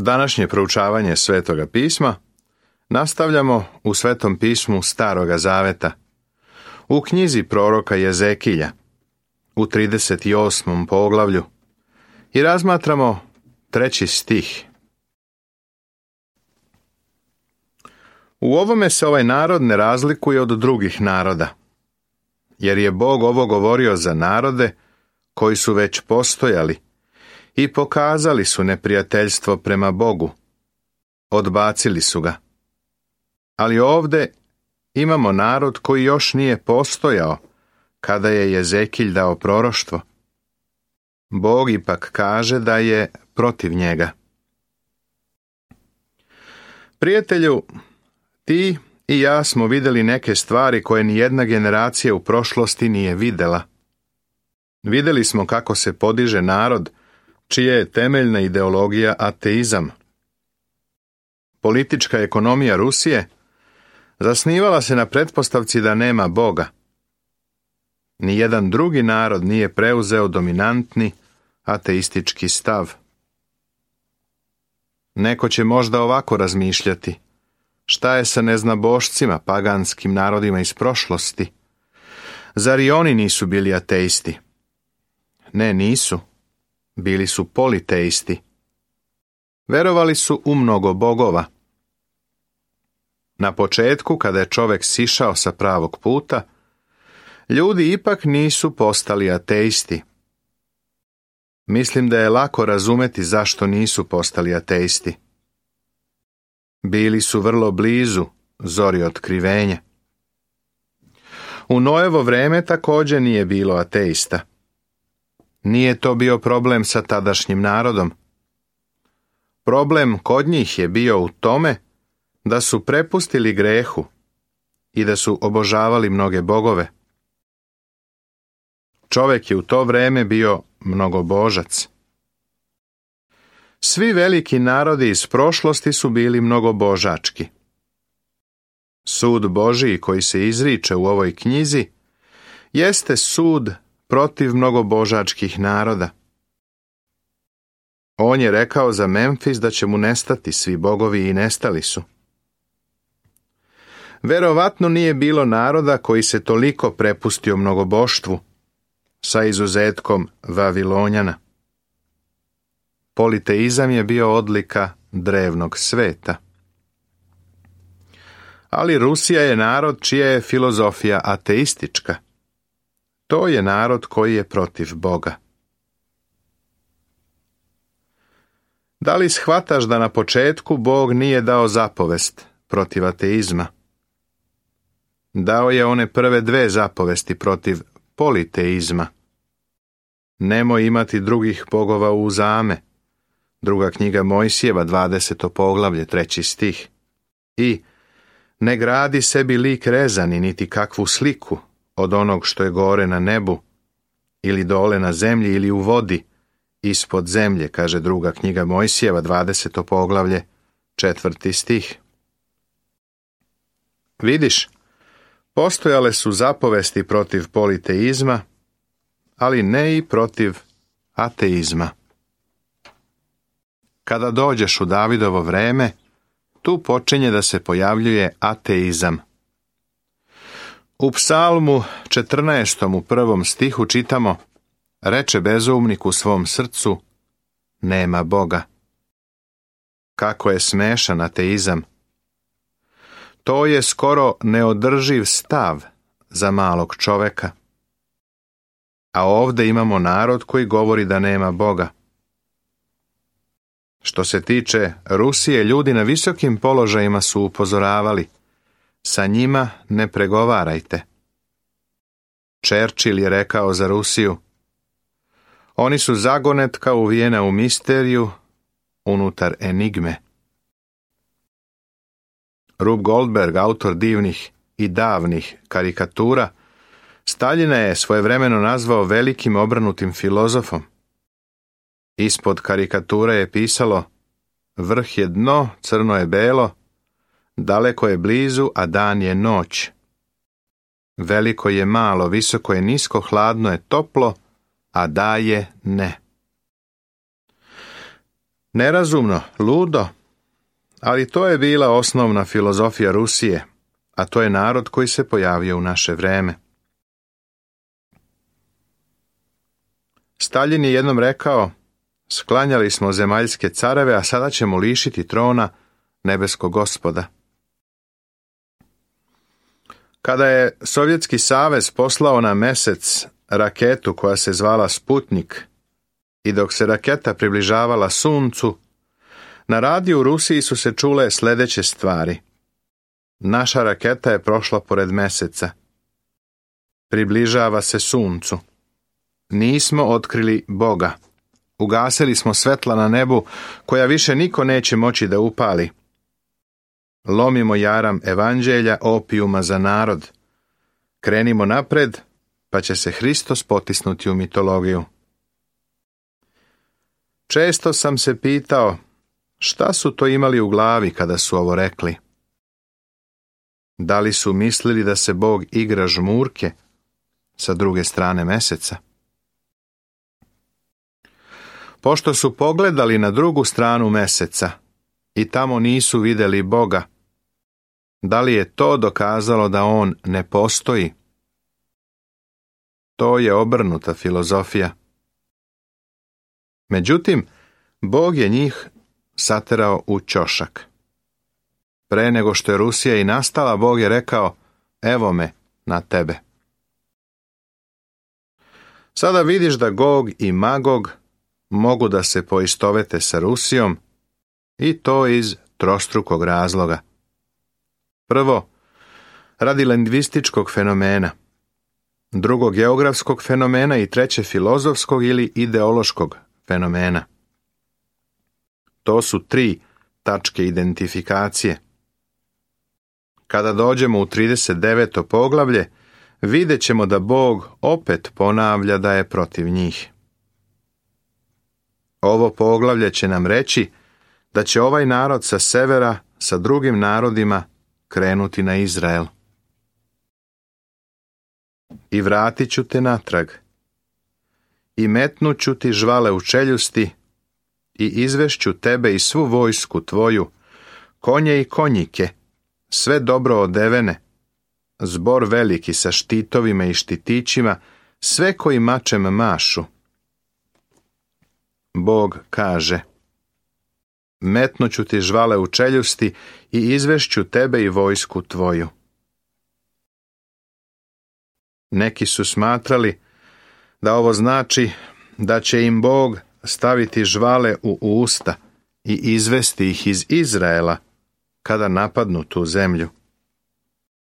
Današnje proučavanje Svetoga pisma nastavljamo u Svetom pismu Staroga zaveta, u knjizi proroka Jezekilja, u 38. poglavlju i razmatramo 3. stih. U ovome se ovaj narod ne razlikuje od drugih naroda, jer je Bog ovo govorio za narode koji su već postojali i pokazali su neprijateljstvo prema Bogu. Odbacili su ga. Ali ovdje imamo narod koji još nije postojao kada je Jezekilj dao proroštvo. Bog ipak kaže da je protiv njega. Prijatelju, ti i ja smo vidjeli neke stvari koje nijedna generacija u prošlosti nije vidjela. Vidjeli smo kako se podiže narod čija je temeljna ideologija ateizam. Politička ekonomija Rusije zasnivala se na pretpostavci da nema Boga. Nijedan drugi narod nije preuzeo dominantni ateistički stav. Neko će možda ovako razmišljati: šta je sa neznabošcima, paganskim narodima iz prošlosti? Zar i oni nisu bili ateisti? Ne, nisu. Bili su politeisti. Verovali su u mnogo bogova. Na početku, kada je čovjek sišao sa pravog puta, ljudi ipak nisu postali ateisti. Mislim da je lako razumeti zašto nisu postali ateisti. Bili su vrlo blizu zori otkrivenja. U Noevo vrijeme također nije bilo ateista. Nije to bio problem sa tadašnjim narodom. Problem kod njih je bio u tome da su prepustili grehu i da su obožavali mnoge bogove. Čovjek je u to vrijeme bio mnogobožac. Svi veliki narodi iz prošlosti su bili mnogobožački. Sud Božiji koji se izriče u ovoj knjizi jeste sud protiv mnogobožačkih naroda. On je rekao za Memfis da će mu nestati svi bogovi i nestali su. Verovatno nije bilo naroda koji se toliko prepustio mnogoboštvu, sa izuzetkom Vavilonjana. Politeizam je bio odlika drevnog sveta. Ali Rusija je narod čija je filozofija ateistička. To je narod koji je protiv Boga. Da li shvataš da na početku Bog nije dao zapovest protiv ateizma? Dao je one prve 2 zapovesti protiv politeizma. Nemoj imati drugih bogova uzame. Druga knjiga Mojsijeva, 20. poglavlje, 3. stih. I ne gradi sebi lik rezani, niti kakvu sliku od onog što je gore na nebu, ili dole na zemlji, ili u vodi, ispod zemlje, kaže druga knjiga Mojsijeva, 20. poglavlje, 4. stih. Vidiš, postojale su zapovesti protiv politeizma, ali ne i protiv ateizma. Kada dođeš u Davidovo vrijeme, tu počinje da se pojavljuje ateizam. U Psalmu 14. u 1. stihu čitamo: reče bezumnik u svom srcu, nema Boga. Kako je smešan ateizam. To je skoro neodrživ stav za malog čovjeka. A ovdje imamo narod koji govori da nema Boga. Što se tiče Rusije, ljudi na visokim položajima su upozoravali: sa njima ne pregovarajte. Churchill je rekao za Rusiju: oni su zagonetka uvijena u misteriju unutar enigme. Rube Goldberg, autor divnih i davnih karikatura, Staljina je svojevremeno nazvao velikim obranutim filozofom. Ispod karikature je pisalo: vrh je dno, crno je belo, daleko je blizu, a dan je noć. Veliko je malo, visoko je nisko, hladno je toplo, a da je ne. Nerazumno, ludo, ali to je bila osnovna filozofija Rusije, a to je narod koji se pojavio u naše vreme. Staljin je jednom rekao, sklanjali smo zemaljske careve, a sada ćemo lišiti trona nebeskog Gospoda. Kada je Sovjetski savez poslao na Mesec raketu koja se zvala Sputnik i dok se raketa približavala Suncu, na radiju u Rusiji su se čule sljedeće stvari. Naša raketa je prošla pored Meseca. Približava se Suncu. Nismo otkrili Boga. Ugasili smo svetla na nebu koja više niko neće moći da upali. Lomimo jaram evanđelja opijuma za narod. Krenimo napred, pa će se Hristos potisnuti u mitologiju. Često sam se pitao, šta su to imali u glavi kada su ovo rekli? Da li su mislili da se Bog igra žmurke sa druge strane Meseca? Pošto su pogledali na drugu stranu Meseca i tamo nisu vidjeli Boga, da li je to dokazalo da on ne postoji? To je obrnuta filozofija. Međutim, Bog je njih saterao u ćošak. Pre nego što je Rusija i nastala, Bog je rekao, evo me na tebe. Sada vidiš da Gog i Magog mogu da se poistovete sa Rusijom i to iz trostrukog razloga. Prvo, radi lingvističkog fenomena, drugo geografskog fenomena i treće filozofskog ili ideološkog fenomena. To su 3 tačke identifikacije. Kada dođemo u 39. poglavlje, vidjet ćemo da Bog opet ponavlja da je protiv njih. Ovo poglavlje će nam reći da će ovaj narod sa severa sa drugim narodima krenuti na Izrael. I vratit ću te natrag. I metnut ću ti žvale u čeljusti i izvešću tebe i svu vojsku tvoju, konje i konjike, sve dobro odevene, zbor veliki sa štitovima i štitićima, sve koji mačem mašu. Bog kaže, metnut ću ti žvale u čeljusti i izvešću tebe i vojsku tvoju. Neki su smatrali da ovo znači da će im Bog staviti žvale u usta i izvesti ih iz Izraela kada napadnu tu zemlju.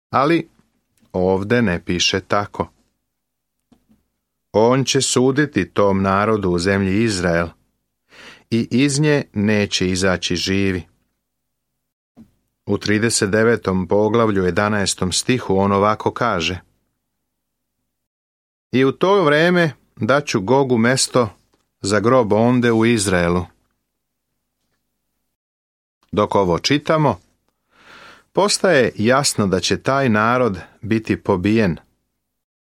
Ali ovde ne piše tako. On će suditi tom narodu u zemlji Izrael i iz nje neće izaći živi. U 39. poglavlju 11. stihu on ovako kaže: I u to vreme daću Gogu mesto za grob onde u Izraelu. Dok ovo čitamo, postaje jasno da će taj narod biti pobijen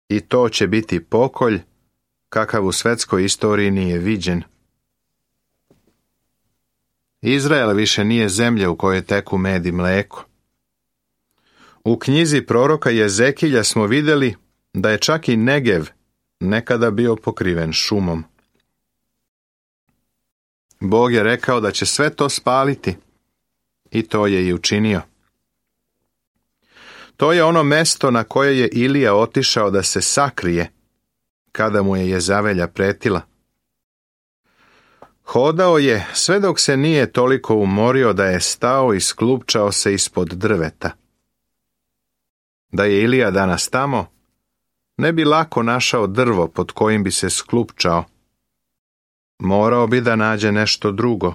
i to će biti pokolj kakav u svetskoj istoriji nije viđen. Izrael više nije zemlja u kojoj teku med i mleko. U knjizi proroka Jezekilja smo vidjeli da je čak i Negev nekada bio pokriven šumom. Bog je rekao da će sve to spaliti i to je i učinio. To je ono mesto na koje je Ilija otišao da se sakrije kada mu je Jezavelja pretila. Hodao je sve dok se nije toliko umorio da je stao i sklupčao se ispod drveta. Da je Ilija danas tamo, ne bi lako našao drvo pod kojim bi se sklupčao. Morao bi da nađe nešto drugo.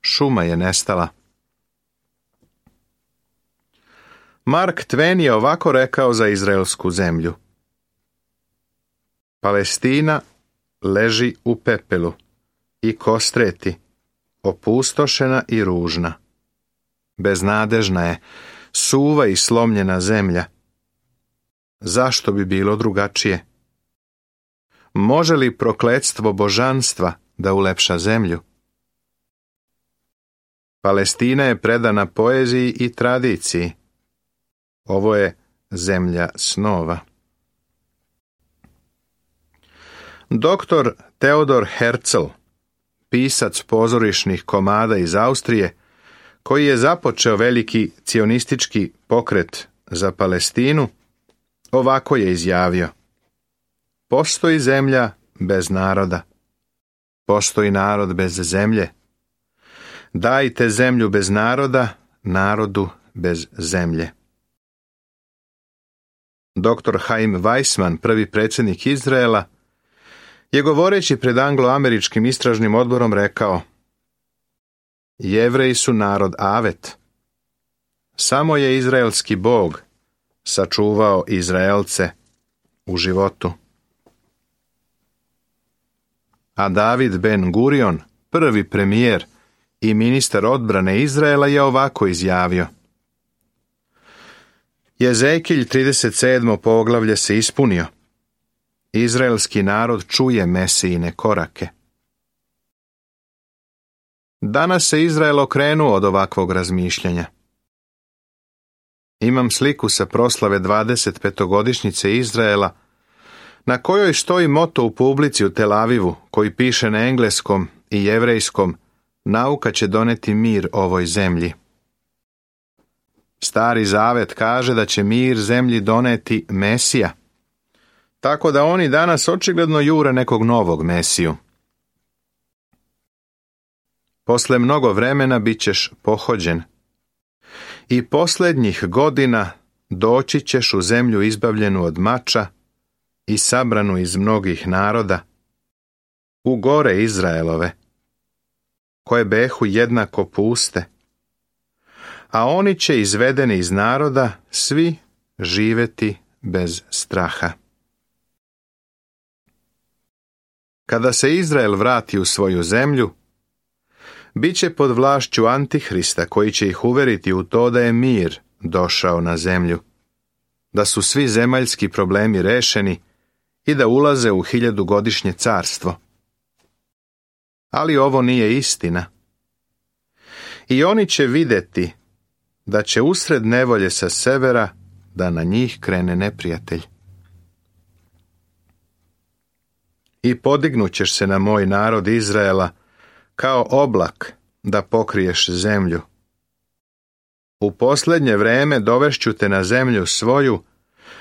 Šuma je nestala. Mark Twain je ovako rekao za izraelsku zemlju: Palestina leži u pepelu i kostreti, opustošena i ružna. Beznadežna je, suva i slomljena zemlja. Zašto bi bilo drugačije? Može li prokletstvo božanstva da ulepša zemlju? Palestina je predana poeziji i tradiciji. Ovo je zemlja snova. Dr. Theodor Herzl, pisac pozorišnih komada iz Austrije, koji je započeo veliki cionistički pokret za Palestinu, ovako je izjavio: postoji zemlja bez naroda. Postoji narod bez zemlje. Dajte zemlju bez naroda, narodu bez zemlje. Dr. Chaim Weissman, prvi predsjednik Izraela, je govoreći pred anglo-američkim istražnim odborom rekao: Jevreji su narod avet. Samo je izraelski Bog sačuvao Izraelce u životu. A David Ben Gurion, prvi premijer i ministar odbrane Izraela, je ovako izjavio: Jezekilj 37. poglavlje se ispunio. Izraelski narod čuje Mesijine korake. Danas se Izrael okrenuo od ovakvog razmišljanja. Imam sliku sa proslave 25-godišnjice Izraela, na kojoj stoji moto u publici u Tel Avivu, koji piše na engleskom i jevrejskom: nauka će doneti mir ovoj zemlji. Stari Zavet kaže da će mir zemlji doneti Mesija, tako da oni danas očigledno jure nekog novog Mesiju. Posle mnogo vremena bit ćeš pohođen i posljednjih godina doći ćeš u zemlju izbavljenu od mača i sabranu iz mnogih naroda, u gore Izraelove, koje behu jednako puste, a oni će izvedeni iz naroda svi živeti bez straha. Kada se Izrael vrati u svoju zemlju, bit će pod vlašću Antihrista, koji će ih uveriti u to da je mir došao na zemlju, da su svi zemaljski problemi rešeni i da ulaze u 1000-godišnje carstvo. Ali ovo nije istina. I oni će vidjeti da će usred nevolje sa severa da na njih krene neprijatelj. I podignut ćeš se na moj narod Izraela kao oblak da pokriješ zemlju. U posljednje vreme dovešću te na zemlju svoju,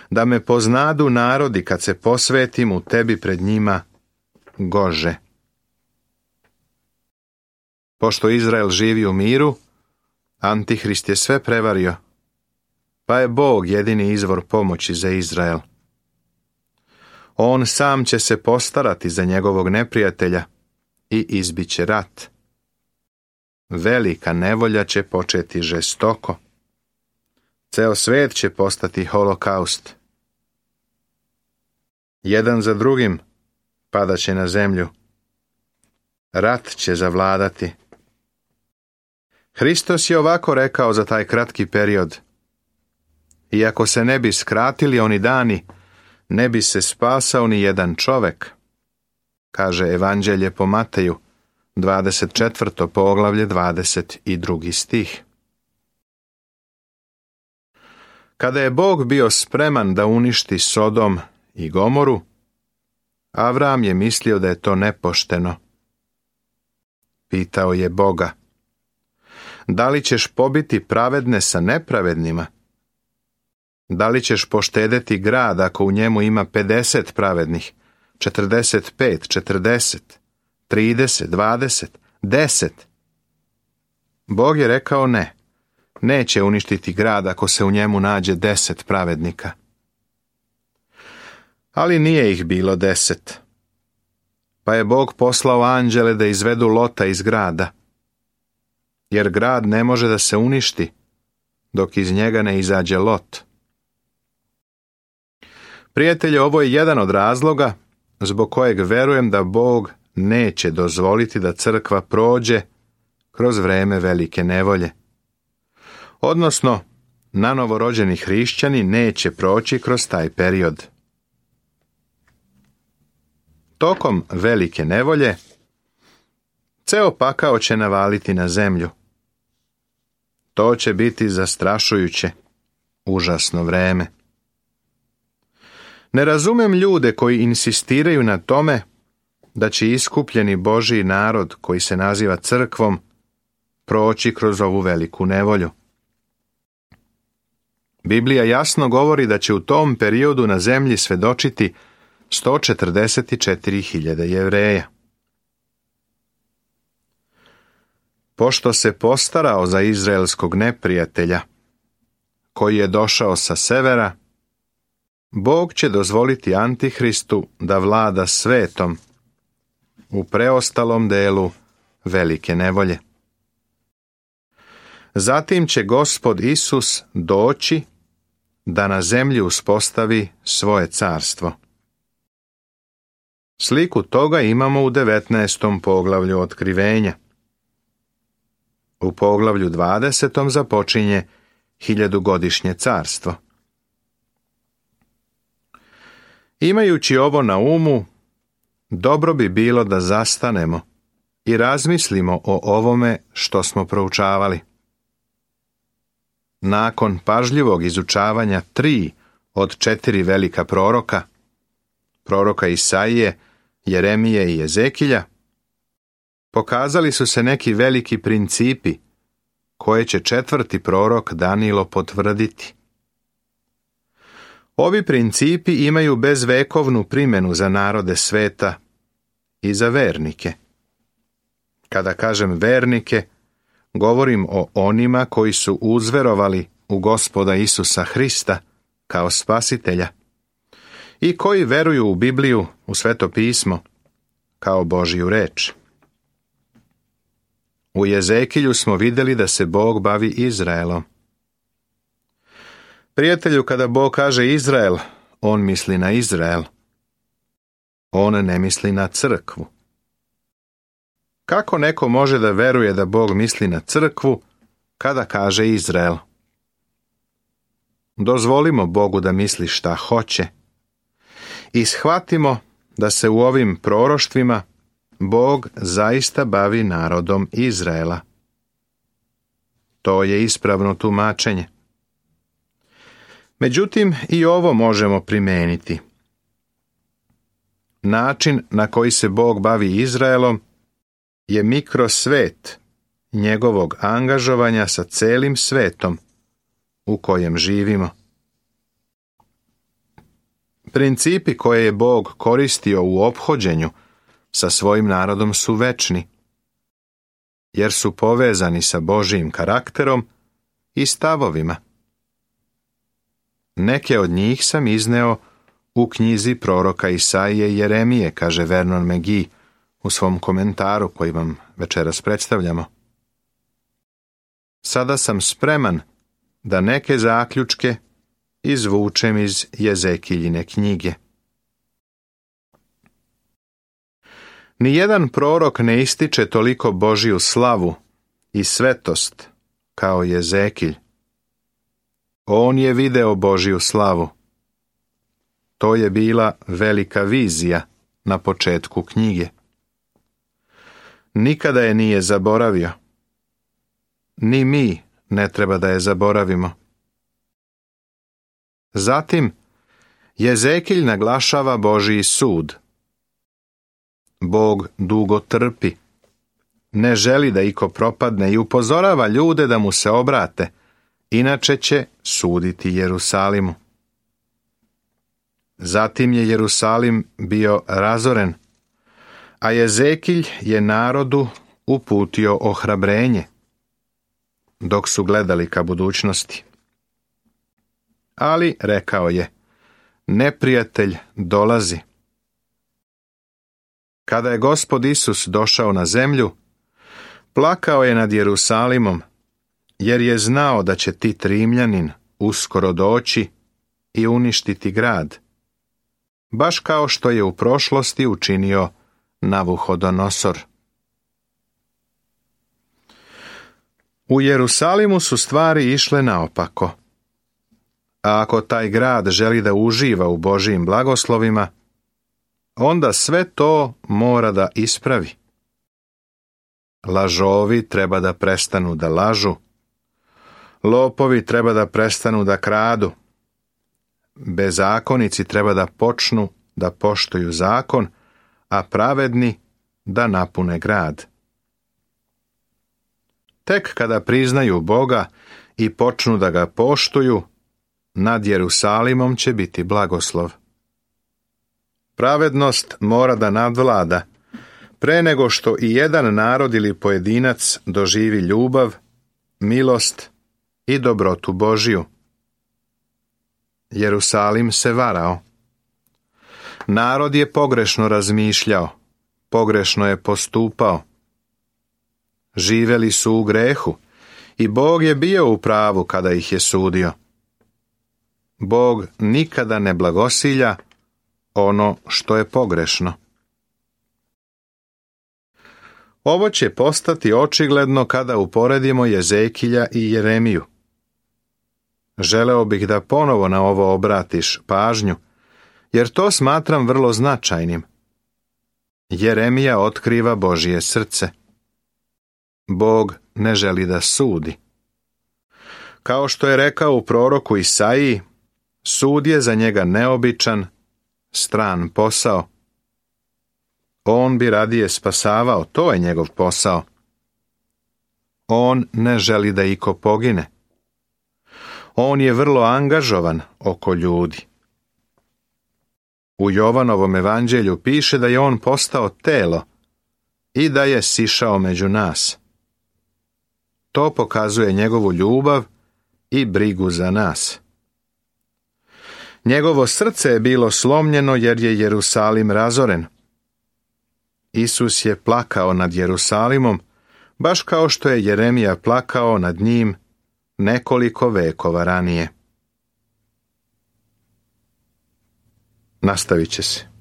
da me poznadu narodi kad se posvetim u tebi pred njima gože. Pošto Izrael živi u miru, Antihrist je sve prevario, pa je Bog jedini izvor pomoći za Izrael. On sam će se postarati za njegovog neprijatelja i izbiće rat. Velika nevolja će početi žestoko. Ceo svet će postati holokaust. Jedan za drugim padaće na zemlju. Rat će zavladati. Hristos je ovako rekao za taj kratki period: iako se ne bi skratili oni dani, ne bi se spasao ni jedan čovek, kaže Evanđelje po Mateju, 24. poglavlje, 22. stih. Kada je Bog bio spreman da uništi Sodom i Gomoru, Avram je mislio da je to nepošteno. Pitao je Boga: da li ćeš pobiti pravedne sa nepravednima? Da li ćeš poštedeti grad ako u njemu ima 50 pravednih, 45, 40, 30, 20, 10? Bog je rekao ne. Neće uništiti grad ako se u njemu nađe 10 pravednika. Ali nije ih bilo 10. Pa je Bog poslao anđele da izvedu Lota iz grada. Jer grad ne može da se uništi dok iz njega ne izađe Lot. Prijatelji, ovo je jedan od razloga zbog kojeg verujem da Bog neće dozvoliti da crkva prođe kroz vreme velike nevolje. Odnosno, nanovorođeni hrišćani neće proći kroz taj period. Tokom velike nevolje, ceo pakao će navaliti na zemlju. To će biti zastrašujuće, užasno vreme. Ne razumem ljude koji insistiraju na tome da će iskupljeni Božji narod, koji se naziva crkvom, proći kroz ovu veliku nevolju. Biblija jasno govori da će u tom periodu na zemlji svedočiti 144.000 Jevreja. Pošto se postarao za izraelskog neprijatelja, koji je došao sa severa, Bog će dozvoliti Antihristu da vlada svetom u preostalom delu velike nevolje. Zatim će Gospod Isus doći da na zemlji uspostavi svoje carstvo. Sliku toga imamo u 19. poglavlju Otkrivenja. U poglavlju 20. započinje 1000-godišnje carstvo. Imajući ovo na umu, dobro bi bilo da zastanemo i razmislimo o ovome što smo proučavali. Nakon pažljivog izučavanja 3 od 4 velika proroka Isaije, Jeremije i Jezekilja, pokazali su se neki veliki principi koje će 4. prorok Danilo potvrditi. Ovi principi imaju bezvekovnu primjenu za narode sveta i za vernike. Kada kažem vernike, govorim o onima koji su uzverovali u Gospoda Isusa Hrista kao spasitelja i koji veruju u Bibliju, u Sveto pismo, kao Božju reč. U Jezekilju smo vidjeli da se Bog bavi Izraelom. Prijatelju, kada Bog kaže Izrael, on misli na Izrael. On ne misli na crkvu. Kako neko može da veruje da Bog misli na crkvu kada kaže Izrael? Dozvolimo Bogu da misli šta hoće i shvatimo da se u ovim proroštvima Bog zaista bavi narodom Izraela. To je ispravno tumačenje. Međutim, i ovo možemo primijeniti. Način na koji se Bog bavi Izraelom je mikrosvet njegovog angažovanja sa celim svetom u kojem živimo. Principi koje je Bog koristio u ophođenju sa svojim narodom su večni, jer su povezani sa Božjim karakterom i stavovima. Neke od njih sam izneo u knjizi proroka Isaije i Jeremije, kaže Vernon McGee u svom komentaru koji vam večeras predstavljamo. Sada sam spreman da neke zaključke izvučem iz Jezekiljine knjige. Nijedan prorok ne ističe toliko Božju slavu i svetost kao Jezekilj. On je video Božju slavu. To je bila velika vizija na početku knjige. Nikada je nije zaboravio. Ni mi ne treba da je zaboravimo. Zatim, Jezekilj naglašava Božji sud. Bog dugo trpi. Ne želi da iko propadne i upozorava ljude da mu se obrate, inače će suditi Jerusalimu. Zatim je Jerusalim bio razoren, a Jezekilj je narodu uputio ohrabrenje, dok su gledali ka budućnosti. Ali, rekao je, neprijatelj dolazi. Kada je Gospod Isus došao na zemlju, plakao je nad Jerusalimom, jer je znao da će Tit Rimljanin uskoro doći i uništiti grad, baš kao što je u prošlosti učinio Navuhodonosor. U Jerusalimu su stvari išle naopako. A ako taj grad želi da uživa u Božjim blagoslovima, onda sve to mora da ispravi. Lažovi treba da prestanu da lažu, Lopovi treba da prestanu da kradu. Bezakonici treba da počnu da poštuju zakon, a pravedni da napune grad. Tek kada priznaju Boga i počnu da ga poštuju, nad Jerusalimom će biti blagoslov. Pravednost mora da nadvlada, pre nego što i jedan narod ili pojedinac doživi ljubav, milost i dobrotu Božju. Jerusalim se varao. Narod je pogrešno razmišljao, pogrešno je postupao. Živeli su u grehu i Bog je bio u pravu kada ih je sudio. Bog nikada ne blagosilja ono što je pogrešno. Ovo će postati očigledno kada uporedimo Jezekilja i Jeremiju. Želeo bih da ponovo na ovo obratiš pažnju, jer to smatram vrlo značajnim. Jeremija otkriva Božje srce. Bog ne želi da sudi. Kao što je rekao u proroku Isaiji, sud je za njega neobičan, stran posao. On bi radije spasavao, to je njegov posao. On ne želi da iko pogine. On je vrlo angažovan oko ljudi. U Jovanovom evanđelju piše da je on postao telo i da je sišao među nas. To pokazuje njegovu ljubav i brigu za nas. Njegovo srce je bilo slomljeno jer je Jerusalim razoren. Isus je plakao nad Jerusalimom, baš kao što je Jeremija plakao nad njim nekoliko vekova ranije. Nastavit će se.